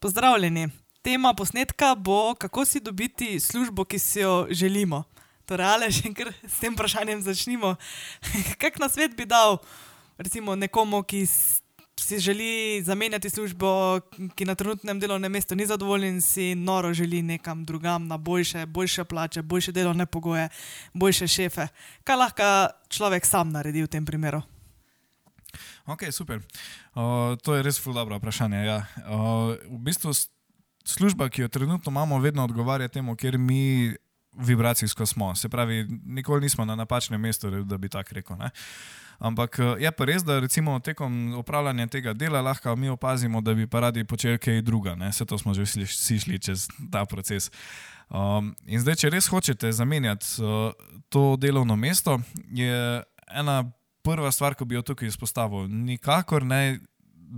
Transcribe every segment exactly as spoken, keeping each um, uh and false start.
Pozdravljeni. Tema posnetka bo, kako si dobiti službo, ki si jo želimo. Torej, Aleš, kar s tem vprašanjem začnimo. Kak nasvet bi dal recimo nekomu, ki si želi zamenjati službo, ki na trenutnem delovnem mestu ni zadovoljen, si noro želi nekam drugam na boljše, boljše plače, boljše delovne pogoje, boljše šefe. Kaj lahko človek sam naredi v tem primeru? Ok, super. Uh, to je res ful dobro vprašanje. Ja. Uh, v bistvu služba, ki jo trenutno imamo, vedno odgovarja temu, kjer mi vibracijsko smo. Se pravi, nikoli nismo na napačnem mestu, da bi tako rekel. Ne? Ampak je pa res, da recimo tekom upravljanja tega dela lahko mi opazimo, da bi pa radi počeli kaj druga. Ne? Vse to smo že vsi šli čez ta proces. Um, in zdaj, če res hočete zamenjati uh, to delovno mesto, je ena prva stvar, ko bi jo tukaj izpostavil, nikakor ne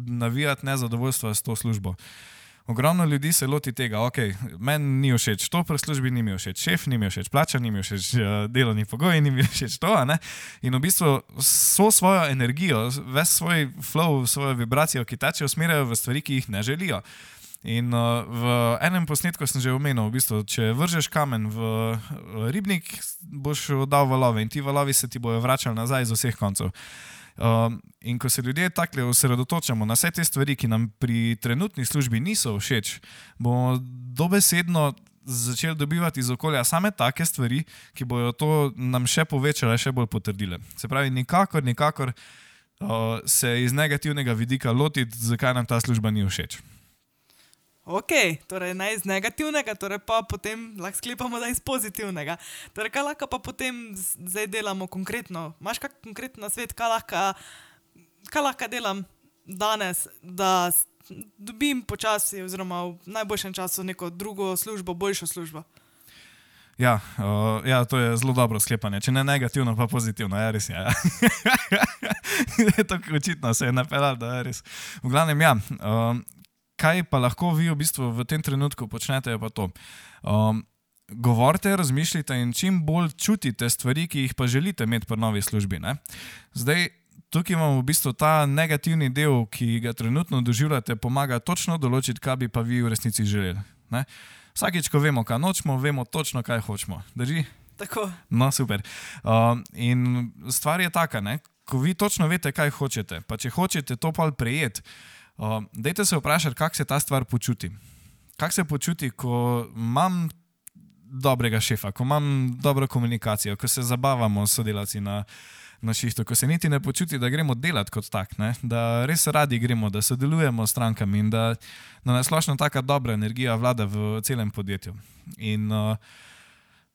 navijati nezadovoljstva s to službo. Ogromno ljudi se loti tega, ok, meni ni všeč to, pri službi ni mi všeč šef, ni mi všeč plača, ni mi všeč delovni pogoji, ni mi všeč to, a ne? In v bistvu so svojo energijo, ves svoj flow, svojo vibracijo, ki teče, usmerjajo v stvari, ki jih ne želijo. In uh, v enem posnetku sem že omenil, v bistvu, če vržeš kamen v ribnik, boš dal valove in ti valovi se ti bojo vračali nazaj iz vseh koncev. Um, in ko se ljudje takle osredotočamo na vse te stvari, ki nam pri trenutni službi niso všeč, bomo dobesedno začeli dobivati iz okolja same take stvari, ki bojo to nam še povečale, še bolj potrdile. Se pravi, nikakor, nikakor uh, se iz negativnega vidika lotiti, zakaj nam ta služba ni všeč. Ok, torej ne iz negativnega, torej pa potem lahko sklepamo, da iz pozitivnega. Torej, kaj lahko pa potem zdaj delamo konkretno? Imaš kak konkreten nasvet, kaj lahko, kaj lahko delam danes, da dobim počasi oziroma v najboljšem času neko drugo službo, boljšo službo? Ja, uh, ja, to je zelo dobro sklepanje. Če ne negativno, pa pozitivno. Ja, res je. Ja. Tako očitno se je napeljal, da je res. V glavnem, ja. Uh, Kaj pa lahko vi v bistvu v tem trenutku počnete, je pa to. Um, govorite, razmišljite in čim bolj čutite stvari, ki jih pa želite imeti pri novi službi. Ne? Zdaj, tukaj imamo v bistvu ta negativni del, ki ga trenutno doživljate, pomaga točno določiti, kaj bi pa vi v resnici želeli. Ne? Vsakič, ko vemo, kaj nočemo, vemo točno, kaj hočemo. Drži? Tako. No, super. Um, in stvar je taka, ne? Ko vi točno veste, kaj hočete, pa če hočete to pa prejeti, Uh, dajte se vprašati, kako se ta stvar počuti. Kako se počuti, ko imam dobrega šefa, ko imam dobro komunikacijo, ko se zabavamo s sodelavci na, na šihtu, ko se niti ne počuti, da gremo delati kot tak, ne? Da res radi gremo, da sodelujemo s strankami in da, da nasplošno taka dobra energija vlada v celem podjetju. In uh,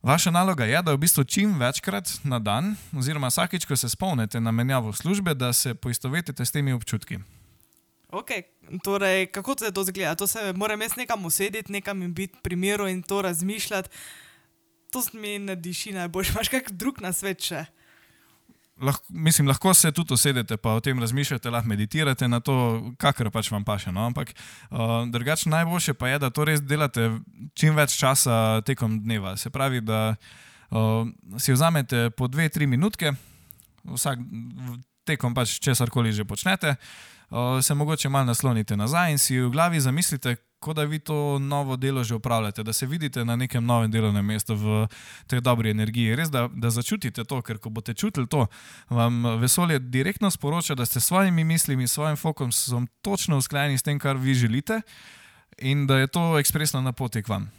vaša naloga je, da v bistvu čim večkrat na dan, oziroma vsakič, ko se spomnite na menjavo službe, da se poistovetite s temi občutki. Ok, torej, kako se to zgleda? To se moram jaz nekam usedeti, nekam in biti pri miru in to razmišljati. To mi ne diši najboljš. Imaš kak drug nasvet še? Lahko, mislim, lahko se tudi usedete, pa o tem razmišljate, lahko meditirate na to, kakor pač vam paše. No? Ampak uh, drugače najboljše pa je, da to res delate čim več časa tekom dneva. Se pravi, da uh, si vzamete po dve, tri minutke, vsak tekom pač česarkoli že počnete, se mogoče malo naslonite nazaj in si v glavi zamislite, kot da vi to novo delo že upravljate, da se vidite na nekem novem delovnem mestu v tej dobri energiji. Res, da, da začutite to, ker ko boste čutili to, vam vesolje direktno sporoča, da ste s svojimi mislimi, svojim fokusom točno usklajeni s tem, kar vi želite in da je to ekspresno na poti k vam.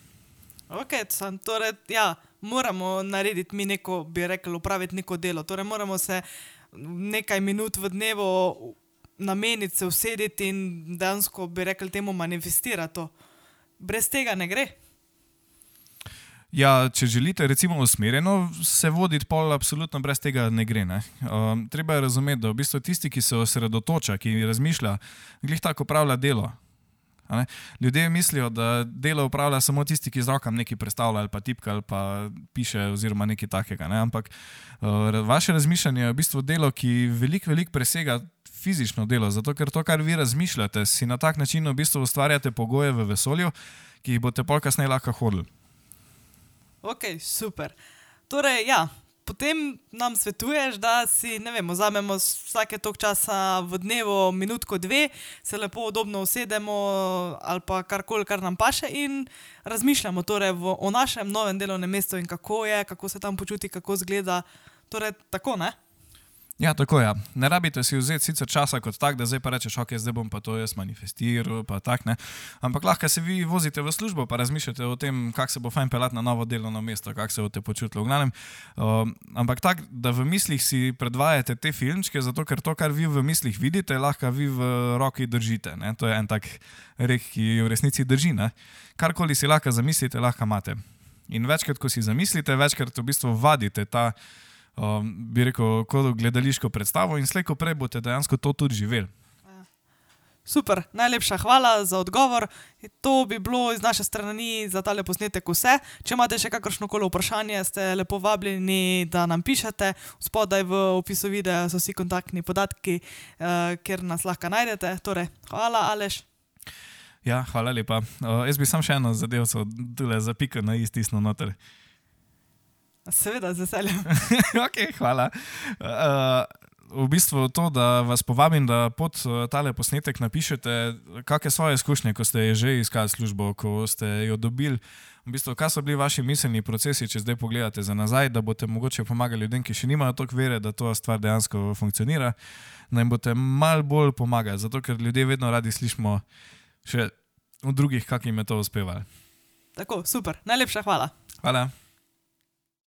Ok, sam, torej, ja, moramo narediti mi neko, bi rekel, upraviti neko delo. Torej, moramo se nekaj minut v dnevu nameniti, se usediti in dejansko, bi rekel, temu manifestirati to. Brez tega ne gre. Ja, če želite recimo usmerjeno se voditi, pol absolutno brez tega ne gre. Ne? Um, treba je razumeti, da v bistvu tisti, ki se osredotoča, ki razmišlja, glih tako upravlja delo. Ne? Ljudje mislijo, da delo upravlja samo tisti, ki z rokam nekaj predstavlja ali pa tipka ali pa piše oziroma nekaj takega. Ne? Ampak uh, vaše razmišljanje je v bistvu delo, ki veliko, veliko presega fizično delo, zato ker to, kar vi razmišljate, si na tak način v bistvu ustvarjate pogoje v vesolju, ki jih boste pol kasneje lahko hodili. Ok, super. Torej, ja, potem nam svetuješ, da si, ne vem, vzamemo vsake toliko časa v dnevu minutko dve, se lepo udobno usedemo ali pa karkoli, kar nam paše in razmišljamo torej v, o našem novem delovnem mestu in kako je, kako se tam počuti, kako izgleda. Torej, tako, ne? Ja, tako je. Ja. Ne rabite si vzeti sicer časa kot tak, da zdaj pa rečeš, ok, zdaj bom pa to jaz manifestiral, pa tak, ne. Ampak lahko se vi vozite v službo, pa razmišljate o tem, kak se bo fajn pelati na novo delovno mesto, kak se boste počutili v glavnem. Uh, ampak tak, da v mislih si predvajate te filmčke, zato ker to, kar vi v mislih vidite, lahko vi v roki držite, ne. To je en tak rek, ki v resnici drži, ne. Karkoli si lahko zamislite, lahko imate. In večkrat, ko si zamislite, večkrat v bistvu vadite ta Um, bi rekel, kot gledališko predstavo in slej ko prej boste dejansko to tudi živeli. Super, najlepša hvala za odgovor. To bi bilo iz naše strani za tale posnetek vse. Če imate še kakršnokoli vprašanje, ste lepo vabljeni, da nam pišete. Spodaj v opisu videa so vsi kontaktni podatki, uh, kjer nas lahko najdete. Torej, hvala, Aleš. Ja, hvala lepa. Uh, jaz bi sam še eno zadevco tule za piko na i stisnil noter. Seveda, z veseljem. Ok, hvala. Uh, v bistvu to, da vas povabim, da pod tale posnetek napišete, kakšne svoje izkušnje, ko ste že iskali službo, ko ste jo dobili. V bistvu, kaj so bili vaši miselni procesi, če zdaj pogledate za nazaj, da boste mogoče pomagali ljudem, ki še nimajo toliko vere, da to stvar dejansko funkcionira, da jim boste malo bolj pomagali, zato ker ljudje vedno radi slišimo še od drugih, kak jim je to uspevalo. Tako, super. Najlepša hvala. Hvala.